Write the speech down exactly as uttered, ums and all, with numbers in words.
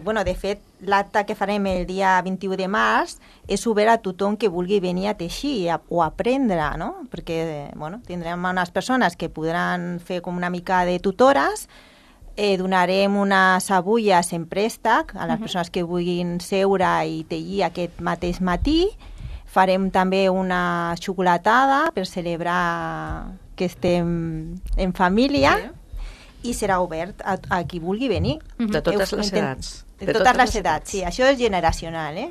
Bueno, de fet, l'acte que farem el dia vint-i-u de març és obert a tothom que vulgui venir a teixir o aprendre, no? Perquè bueno, tindrem unes persones que podran fer com una mica de tutores, eh, donarem unes agulles en préstec a les uh-huh. persones que vulguin seure i tenyir aquest mateix matí. Farem també una xocolatada per celebrar que estem en família. Sí. I serà obert a, a qui vulgui venir. De totes les edats. De, de totes, totes les edats, sí. Això és generacional, eh?